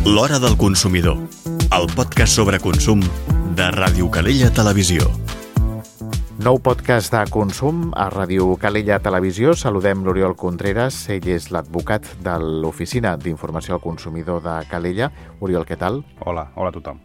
L'Hora del Consumidor, el podcast sobre consum de Ràdio Calella Televisió. Nou podcast de consum a Ràdio Calella Televisió. Saludem l'Oriol Contreras, ell és l'advocat de l'Oficina d'Informació al Consumidor de Calella. Oriol, què tal? Hola a tothom.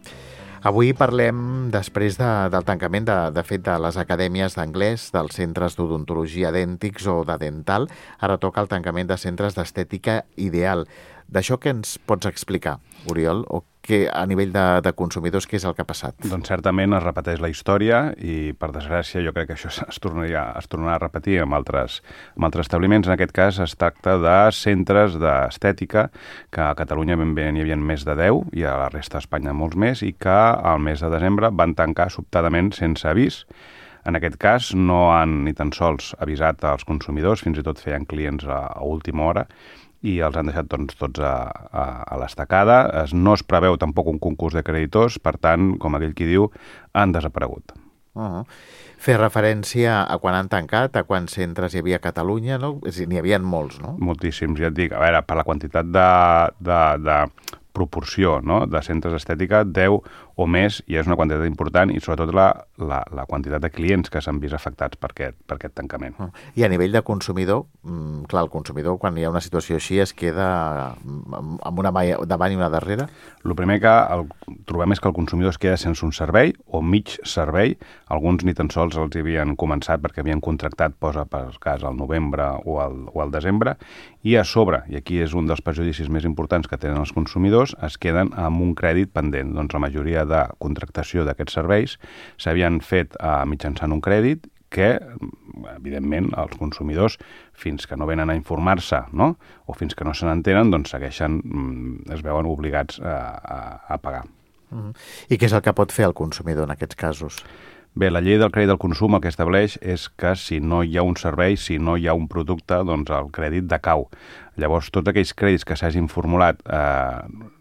Avui parlem, després del tancament de fet de les acadèmies d'anglès, dels centres d'odontologia dèntics o de dental. Ara toca el tancament de centres d'estètica ideal. D'això què ens pots explicar, Oriol? O que a nivell de consumidors, què és el que ha passat? Doncs certament es repeteix la història i, per desgràcia, jo crec que això es tornarà a repetir amb altres establiments. En aquest cas es tracta de centres d'estètica, que a Catalunya ben bé n'hi havia més de 10 i a la resta d'Espanya molts més, i que al mes de desembre van tancar sobtadament sense avís. En aquest cas no han ni tan sols avisat als consumidors, fins i tot feien clients a última hora, i els han deixat tots a l'estacada. No es preveu tampoc un concurs de creditors, per tant, com aquell qui diu, han desaparegut. Fer referència a quan han tancat, a quants centres hi havia a Catalunya, no? És a dir, n'hi havia molts, no? Moltíssims, ja et dic. A veure, per la quantitat de proporció, no?, de centres d'estètica, 10 o més, i és una quantitat important, i sobretot la quantitat de clients que s'han vist afectats per aquest tancament. I a nivell de consumidor, clar, el consumidor, quan hi ha una situació així, es queda amb una mà davant i una darrere? El primer que trobem és que el consumidor es queda sense un servei o mig servei. Alguns ni tan sols els havien començat perquè havien contractat, posa per cas, al novembre o al desembre, i a sobre, i aquí és un dels perjudicis més importants que tenen els consumidors, es queden amb un crèdit pendent. Doncs la majoria de contractació d'aquests serveis s'havien fet mitjançant un crèdit que, evidentment, els consumidors, fins que no venen a informar-se, no?, o fins que no se n'entenen, doncs segueixen, es veuen obligats a pagar. I què és el que pot fer el consumidor en aquests casos? Bé, la llei del crèdit del consum el que estableix és que si no hi ha un servei, si no hi ha un producte, doncs el crèdit decau. Llavors, tots aquells crèdits que s'hagin formulat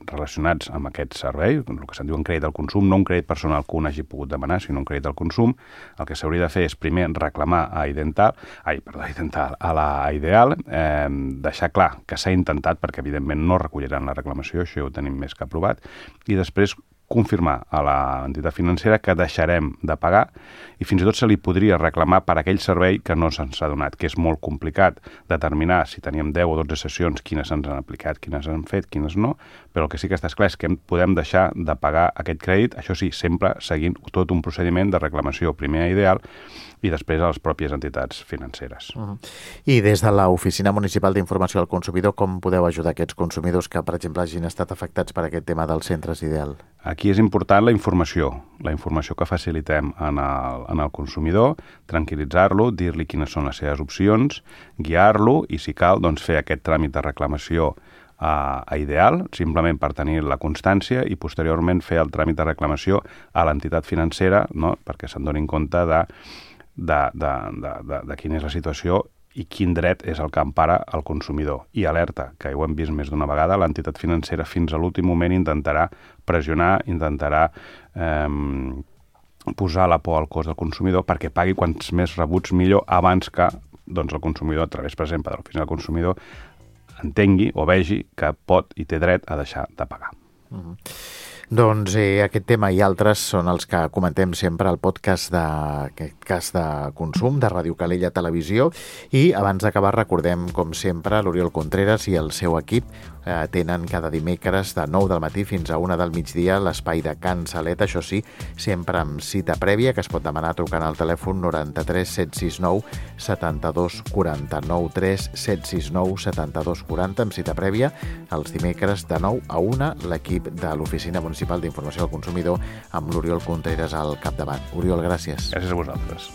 relacionats amb aquest servei, el que se'n diu un crèdit del consum, no un crèdit personal que un hagi pogut demanar, sinó un crèdit del consum, el que s'hauria de fer és primer reclamar a la Ideal, deixar clar que s'ha intentat, perquè evidentment no recolliran la reclamació, això ho tenim més que aprovat, i després confirmar a l'entitat financera que deixarem de pagar, i fins i tot se li podria reclamar per aquell servei que no se'ns ha donat, que és molt complicat determinar si teníem 10 o 12 sessions, quines ens han aplicat, quines han fet, quines no, però el que sí que està clar és que podem deixar de pagar aquest crèdit, això sí, sempre seguint tot un procediment de reclamació primer a Ideal i després a les pròpies entitats financeres. I des de l'Oficina Municipal d'Informació al Consumidor, com podeu ajudar aquests consumidors que, per exemple, hagin estat afectats per aquest tema dels centres Ideal? Aquí és important la informació que facilitem en el consumidor, tranquil·litzar-lo, dir-li quines són les seves opcions, guiar-lo i, si cal, doncs, fer aquest tràmit de reclamació a Ideal, simplement per tenir la constància, i posteriorment fer el tràmit de reclamació a l'entitat financera, no?, perquè se'n donin compte de quina és la situació i quin dret és el que empara el consumidor. I alerta, que ho hem vist més d'una vegada, l'entitat financera fins a l'últim moment intentarà pressionar, intentarà posar la por al cos del consumidor perquè pagui quants més rebuts millor abans que el consumidor, a través, per exemple, de l'Oficina del Consumidor, entengui o vegi que pot i té dret a deixar de pagar. Doncs aquest tema i altres són els que comentem sempre al podcast de consum de Ràdio Calella Televisió, i abans d'acabar recordem, com sempre, l'Oriol Contreras i el seu equip tenen cada dimecres de 9 del matí fins a 1 del migdia l'espai de Can Salet, això sí, sempre amb cita prèvia, que es pot demanar trucant al telèfon 93 769 72 40, 93 769 72 40, amb cita prèvia, els dimecres de 9 a 1, l'equip de l'Oficina Municipal d'Informació al Consumidor amb l'Oriol Contreras al capdavant. Oriol, gràcies. Gràcies a vosaltres.